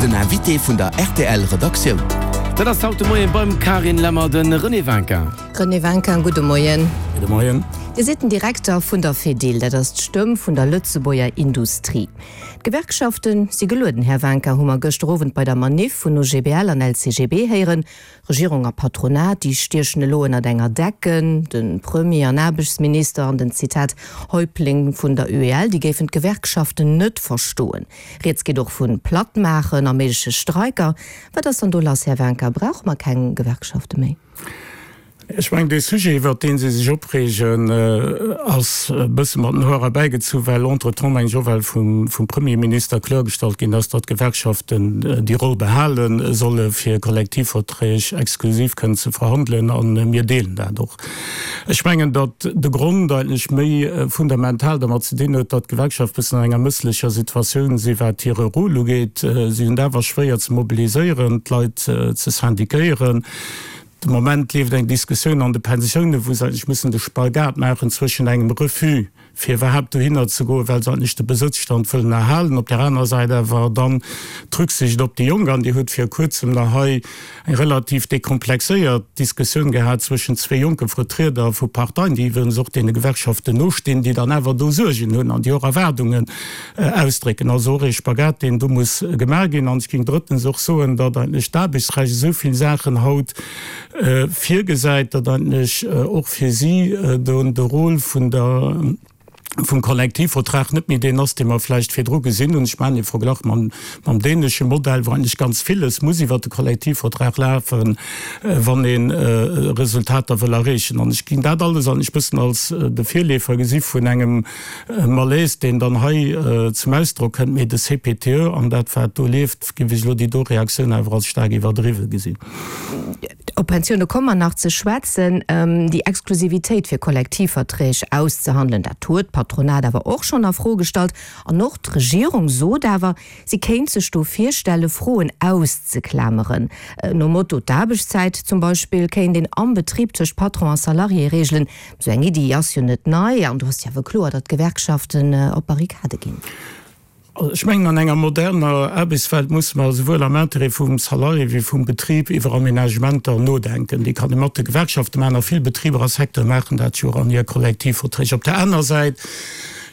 Den Invité vun der rtl Redaktioun. Dat ass haut de Moien beim Carine Lemmer de René Winkin. René Winkin, gudde Moien. Gudde Moien. Dir sidd den Direkter vun der Fedil, dat ass d'Stëmm vun der Lëtzebuerger Industrie. D'Gewerkschafte si gelueden, Här Winkin, hu mer gëschter Owend bei der Maniff vun OGBL an LCGB héieren. Regierung a Patronat, déi stiechen elo ënnert enger Decken. De Premier an Aarbechtsminister an den, Zitat, Häuptling vun der UEL, déi géifen d'Gewerkschaften net verstoen. Rieds geet och vu Plattmaachen a méigleche Streiker. Wat ass dann do lass, Här Wincker? Brauche mer keng Gewerkschafte méi? Ech mengen, dee Sujet, iwwert dee si sech opreegen, ass e bësse mat den Hoer erbäigezu, well entretemps, mengen ech, och well vum Premierminister kloergestallt ginn ass, datt d'Gewerkschaften déi Roll behale solle fir Kollektivverträg exklusiv kënnen ze verhandelen. A mir deelen dat och. Ech mengen, datt de Grond eigentlech méi fundamental dermat ze dinn huet, datt d'Gewerkschafte bëssen an enger mësslecher Situatioun si wat hire Rôle ugeet. Si hunn et awer schwéier ze mobiliséieren, d'Leit ze syndiquéieren. De Moment leeft eng Diskussioun an de Pensiounen, wou se eigentlech mussen de Spagat maachen zwëschen engem Refus, fir iwwerhaapt dohinner ze goen, well se eigentlech de Besëtzstand wëllen erhalen, op där anerer Säit awer dann d'Rücksicht op déi Jonk. An Dir hutt vir kuerzem nach hei eng relativ dekomplexéiert Diskussioun gehat zwëschen zwee jonke Vertrieder vu Parteien, déi iwwregens och deene Gewerkschaften nostinn, déi dann awer do Suergen hunn an déi och Erwaardungen ausdrécken. Also och ee Spagat, deen do muss gemaach ginn. An ech géing drëttens och soen, datt eigentlech d'Aarbechtsrecht esou vill Saachen haut virgesäit, datt eigentlech och fir si do de Rôle vun der, vum Kollektivvertrag net méi deen ass, dee mer vläicht virdru gesinn hunn. Ech maachen ee Verglach mam, mam dänesche Modell, wou eigentlech ganz villes muss iwwert de Kollektivvertrag lafen, wann ee Resultater wëll erreechen. An ech géing dat alles eigentlech e bëssen als de Virleefer gesi vun engem, E Malaise, deen dann hei zum Ausdrock kënnt, mee de CPTE an dat, wat do leeft, géif ech elo déi do Reaktioun awer als staark iwwerdriwwe gesinn. Op Pensioune komme mer nach ze schwätzen. Déi Exklusivitéit fir Kollektivverträg auszehandelen, dat huet d'Patronat awer och schonn a Fro gestallt. An och d'Regierung sot awer, si kéint sech do virstelle Froen auszeklameren. Nom Motto, d'Aarbechtszäit zum Beispill kéint een am Betrib tëscht Patron a Salarié reegelen. Esou eng Iddi ass jo net nei an do ass jo awer kloer, datt d'Gewerkschaften op d'Barrikade ginn. Ech mengen, an enger moderner Aarbechtswelt musse mer esouwuel am Intérêt vum Salarié wéi vum Betrib iwwer Aménagementer nodenken. Déi kann ee mat de Gewerkschafte maachen a vill Betriber a Secteure maachen dat jo och an hir Kollektivverträg. Op där aner Säit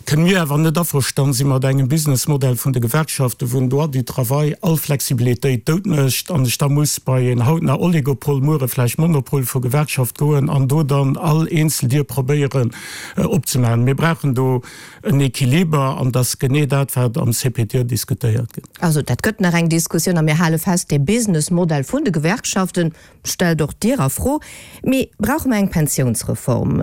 kënne mir awer net averstann si mat engem Businessmodell vun de Gewerkschaften, wou den Droit du travail all Flexibilitéit dout mécht an ech da muss bei een haut nach Oligopol, muere vläicht Monopol vu Gewerkschaft goen an do dann all eenzel Dier probéieren opzemaachen. Mir brauchen do en Equiliber an dat ass genee dat, wat am CPTE diskutéiert gëtt. Also dat gëtt nach eng Diskussioun a mir hale fest, dee Businessmodell vun de Gewerkschaften, Stellt och Dir a Fro, mee brauche mer eng Pensiounsreform?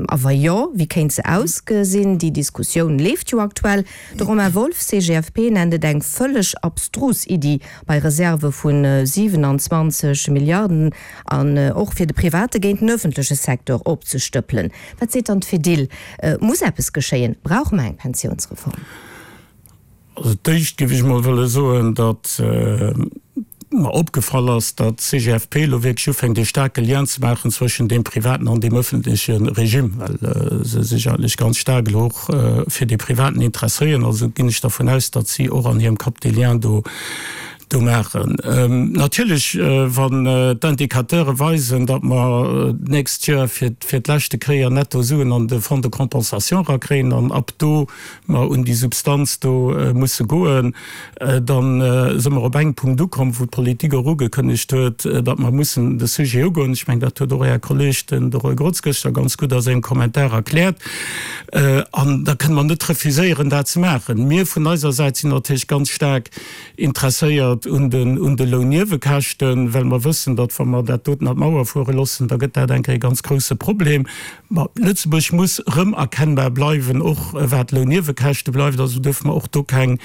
A wa jo, wéi kéint se ausgesinn? Déi Diskussioun leeft jo aktuell. De Romain Wolff, CGFP, nennt et eng vëlleg abstrus Iddi, bei Reserve vu 27 Milliarden an och fir de private géint den ëffentleche Secteur opzestëppelen. Wat seet dann d'Fedil? Muss eppes geschéien? Brauche mer eng Pensiounsreform? Also d'éischt géif ech mol wëlle soen, datt mer opgefall ass, datt d'CGFP elo wierklech ufänkt ee staarke Lien ze maachen zwëschen deem privaten an deem ëffentleche Regime, well se sech eigentlech ganz staark elo och fir dee privaten interesséieren. Also ginn ech dervun aus, datt si och an hirem Kapp dee Lien do do maachen. Natierlech, wann d'Indicateure weisen, datt mer d'nächst Joer fir d'leschte Kéier netto Suen an de Fonds de compensation erakréien an ab do mer un déi Substanz do musse goen, da si mer op engem Punkt ukomm, wou d'Politik och ugekënnegt huet, datt mer mussen de Sujet ugoen. Ech mengen, dat huet och Är Kolleeg, den de Roy Grotz, gëschter ganz gutt a sengem Kommentar erkläert. An da kënne mer net refuséieren, dat ze maachen. Mir vun eiser Säit sinn natierlech ganz staark interesséiert un den un de Lounniewekäschten, well mer wëssen, datt wa mer dat doten an d'Mauer fuere loossen, da gëtt dat eng Kéier e ganz grouse Problem. Ma Lëtzebuerg muss erëmerkennbar bleiwen, och wat d'Lounniewekäschte bleift. Also duerfe mer och do keng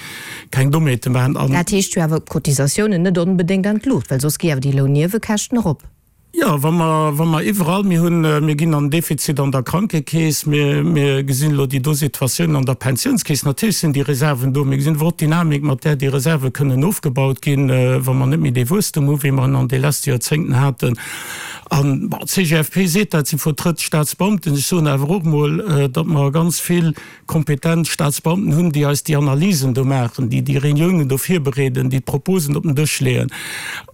keng Dommheete maachen. An. Dat heescht jo awer, d'Cotisatiounen net onbedéngt an d'Luucht, well soss gi awer déi Lounniewekäschten erop. Jo, wa mer, wa mer iwwerall, mir hunn, mir ginn an Defizit an der Krankekeess, mir, mir gesinn elo déi do Situatioun an der Pensiounskeess, natierlech sinn déi Reserven do. Mir gesinn awer och d'Dynamik, mat där déi Reserve kënnen ofgebaut ginn, wa mer net méi dee Wuesstum hu wéi mer en an de leschte Joerzéngten haten. An, bon, d'CGFP seet dat, si vertrëtt d'Staatsbeamten. Ech soen awer och emol, datt mer ganz vill kompetent Staatsbeamten hunn, déi eis déi Analysen do maachen, déi déi Reuniounen do virbereeden, déi d'Proposen op den Dësch leeën.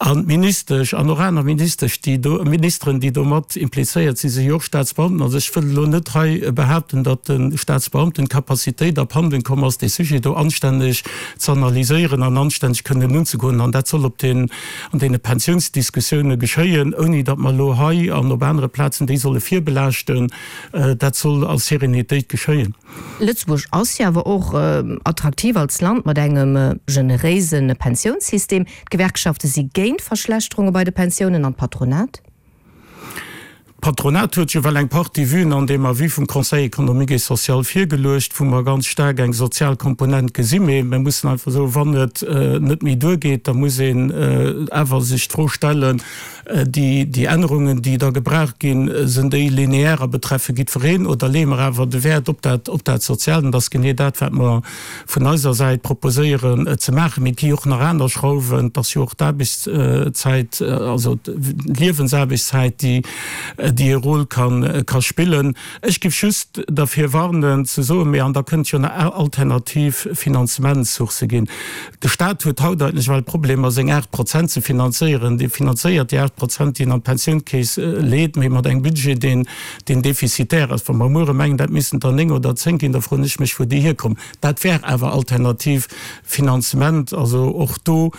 An d'Ministesch an och aner Ministesch, déi do, Ministeren, déi do mat implizéiert sinn, si jo och Staatsbeamten. Also ech wëll elo net hei behaapten, datt de Staatsbeamten d'Capacitéit abhanden komm ass, dee Sujet do anstänneg ze analyséieren an anstänneg kënnen unzegoen. An dat soll op den, an deene Pensiounsdiskussioune geschéien, ouni datt mer elo hei an op anere Plazen déi solle virbelaaschten. Dat soll a Sérénitéit geschéien. Lëtzebuerg ass jo awer och attraktiv als Land mat engem generéise Pensiounssystem. D'Gewerkschafte si géint Verschlechterunge bei de Pensiounen an d'Patronat? D'Patronat huet jo well eng Partie Vuen an deem Avis vum Conseil économique et social virgeluecht, wou mer ganz staark eng sozial Komponent gesinn. Mee mir mussen einfach soen, wann et net méi duergeet, da muss een awer sech d'Fro stellen, Déi Ännerungen, déi da gebraucht ginn, sinn déi lineaire a betreffe jiddwereen oder leeë mer awer de Wäert op dat, op dat Soziaalt? An dat ass genee dat, wat mer vun eiser Säit proposéieren ze maachen. Mee et gi jo och nach aner Schrauwen. Et ass jo och d'Aarbechtszäit, also d'Liewensaarbechtszäit, déi, déi e Rôle ka, ka spillen. Ech géif just derfir warnen ze soen, mee an da kënnt jo nach alternativ Finanzementssourcë ginn. De Staat huet haut eigentlech well Problemer seng 8 Prozent ze finanzéieren. Dee finanzéiert déi 8 Prozent déi en an d'Pensiounskeess leet, mee mat engem Budget deen deen defizitär ass. Wa mer muere mengen dat missten der 9 oder 10 ginn, da froen ech mech wou déi hierkommen. Dat wär awer alternativ Finanzement. Also och do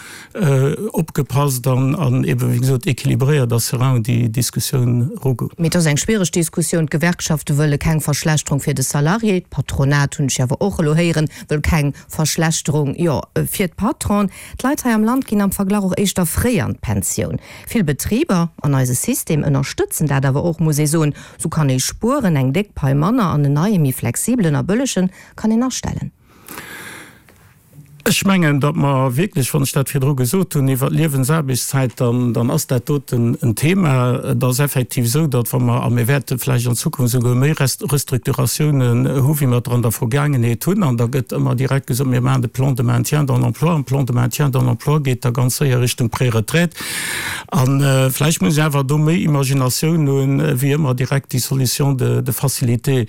opgepasst an an eben wéi gesot équilibréiert a serein un déi Diskussioun erugoen. Mee et ass eng schwiereg Diskussioun. D'Gewerkschafte wëlle keng Verschlechterung fir de Salarié, d'Patronat, hunn ech awer och elo héieren, wëll keng Verschlechterung, jo, fir d'Patronen. D'Leit hei am Land ginn am Verglach och éischter fréi an d'Pensioun. Vill Betriber an eise System ënnerstëtzen dat awer och, muss ee soen. Sou kann ee spueren, eng déck Pai manner an en neie méi flexibelen a bëllegen kann een astellen. Ech mengen, datt mer wierklech, wann ech dat virdru gesot hunn iwwert d'Liewensaarbechtszäit, dann, dann ass dat doten en Thema. Et ass effektiv esou, datt wa mer, a mir wäerte vläicht an Zukunft esouguer méi Restrukturatiounen hu wéi mer der an der Vergaangenheet hunn, an da gëtt ëmmer direkt gesot, mir maachen de Plan de maintien dans l'emploi, an Plan de maintien dans l'emploi geet da ganz séier Richtung Préretraite. A vläicht muss een awer do méi Imaginatioun hunn, wéi ëmmer direkt déi Solution de facilité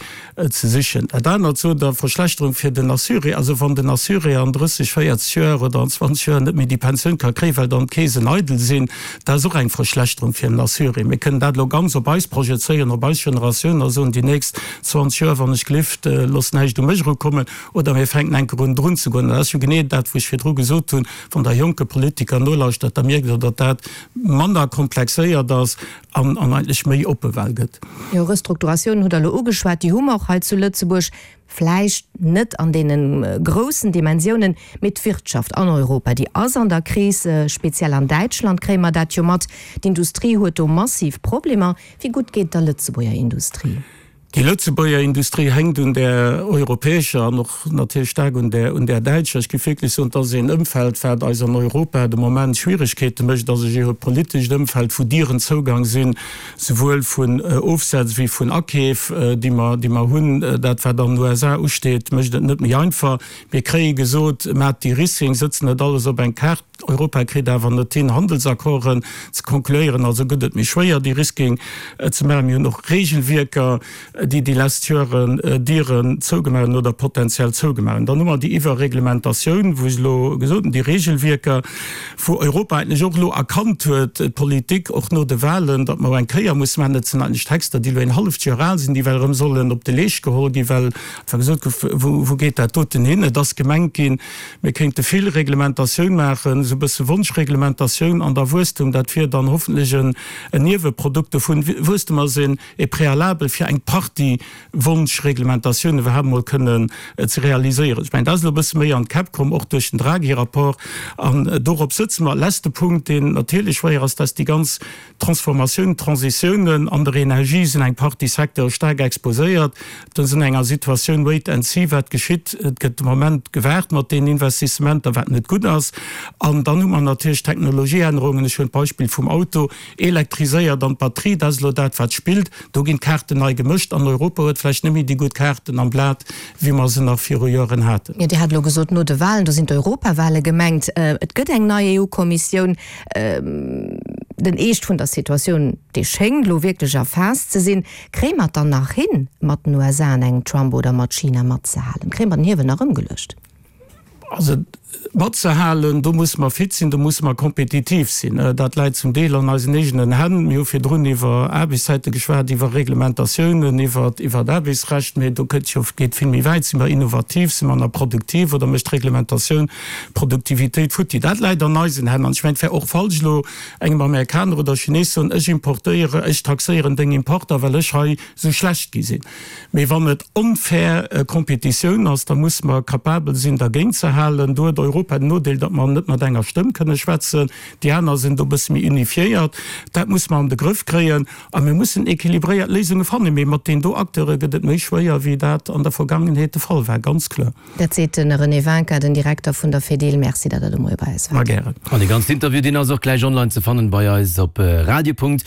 ze sichen. Dat anert zu der Verschlechterung fir den Assuré, also wann den Assuré an 30, 40 Joer oder an 20 Joer net méi déi Pensioun ka kréien, well dann d'Keesen eidel sinn, dat ass och eng Verschlechterung fir den Assuré. Mir kënnen dat elo ganz op eis projezéieren, op eis Generatioun a soen, déi nächst 20 Joer, wann ech gelift, loosst näischt u mech erukommen, oder mir fänken eng Kéier un drun ze goen. Dat ass jo genee dat, wou ech virdru gesot hunn, wann Der jonke Politiker nolauschtert, da mierkt Der, datt dat manner komplexéiert ass an eigentlech méi oppe well gëtt. Jo, Restrukturatiounen hutt Der elo ugeschwat, déi hu mer och hei zu Lëtzebuerg, vläicht net an deene groussen Dimensiounen, mee d'Wirtschaft an Europa, déi ass an der Kris, speziell an Däitschland kréie mer dat jo mat. D'Industrie huet do massiv Problemer. Wéi gutt geet et der Lëtzebuerger Industrie? Déi Lëtzebuerger Industrie hänkt un där europäescher an och natierlech staark un där, un där däitscher. Ech géif wierklech soen, et ass een Ëmfeld, wat eis an Europa de Moment Schwieregkeete mécht. Et ass e geopolitescht Ëmfeld, wou Dieren zougang sinn, souwuel vun Ofsätz wéi vun Akeef, déi mer, déi mer hunn. Dat, wat an den USA usteet, mécht et net méi einfach. Mir kréie gesot, Maat De-Risking, sëtzt net alles op eng Kaart. Europa kritt awer net hin, Handelsaccorden ze concluéieren, also gëtt et méi schwéier, De-Risking ze maachen. Mir hunn och Regelwierker, déi déi lesst Joren Dieren zougemaach hunn oder potenziell zougemaach hunn. Dann hu mer déi Iwwerreglementatioun, wou ech elo gesot hunn, déi Regelwierker, wou Europa eigentlech och elo erkannt huet, d'Politik och no de Wahlen, datt mer eng Kéier musse maachen. Dat sinn eigentlech Texter, déi elo een halleft Joer al sinn, déi well erëm sollen op de Leescht geholl ginn, well einfach gesot gouf, Wou geet dat doten hin? Et ass gemengt ginn, Mir kéinte vill Reglementatioun maachen, esou e bësse Wonschreglementatioun an da Wuesstum, dat wier dann hoffentlech en Nieweprodukt dovun. Wuesstum ass een e Préalable fir eng Partie Wonschreglementatioun iwwerhaapt emol kënnen ze realiséieren. Ech mengen, dat ass elo e bësse méi an d'Käpp komm, och duerch den Draghi-Rapport. An dorop sëtze mer. Leschte Punkt, deen natierlech schwéier ass, dat ass déi ganz Transformatioun, Transitiounen an der Energie sinn eng Partie Secteure staark exposéiert. Do sinn enger Situatioun wait and see, wat geschitt. Et gëtt de Moment gewaart mat deenen Investissementer, wat net gutt ass. An dann hu mer natierlech Technologieännerungen. Ech hunn d'Beispill vum Auto elektriséiert an d'Batterie, dat ass elo dat, wat spillt. Do ginn d'Kaarten nei gemëscht an Europa huet vläicht net méi déi gutt Kaarten am Blat, wéi mer se nach viru Joren haten. Jo, Dir hat elo gesot, no de Wahlen, do sinn d'Europawale gemengt. Et gëtt eng nei EU-Kommissioun. Den Eescht vun der Situatioun, dee schéngt elo wierklech erfaasst ze sinn. Kréie mer et dann nach hin, mat den USA an engem Trump oder mat China matzehalen? Kréie mer den Hiewel nach ëmgeluecht? Also matzehalen, do musse mer fit sinn, do musse mer kompetitiv sinn. Dat läit zum Deel an eisen eegenen Hänn. Mir hu virdrun iwwer Aarbechtszäite geschwat, iwwer Reglementatiounen, iwwer d'Aarbechtsrecht, mee do gëtt jo, geet vill méi wäit. Si mer innovativ, si mer nach produktiv oder mécht d'Reglementatioun d'Produktivitéit futti? Dat läit an eisen Hänn. An ech mengen, et wär och falsch elo engem Amerikaner oder Chines soen, ech importéiere, ech taxéieren deng Importer, well ech hei esou schlecht gi sinn. Mee wann et onfair Competitioun ass, da musse mer capabel sinn, dergéint ze halen. Do huet Europa den Nodeel, datt mer net mat enger Stëmm kënne schwätzen. Déi aner sinn do e bësse méi unifiéiert. Dat musse mer an de Grëff kréien. A mir mussen équilibréiert Léisunge fannen. Mee mat deenen do Acteure gëtt et méi schwéier, wéi dat an der Vergangenheet de Fall war, ganz kloer. Dat seet de René Wincker, den Direkter vun der Fedil. Merci, datt Der de Moie bei eis waart. Ma gären. An dee ganzen Interview, deen ass och gläich online ze fannen bei eis op radio.rtl.lu.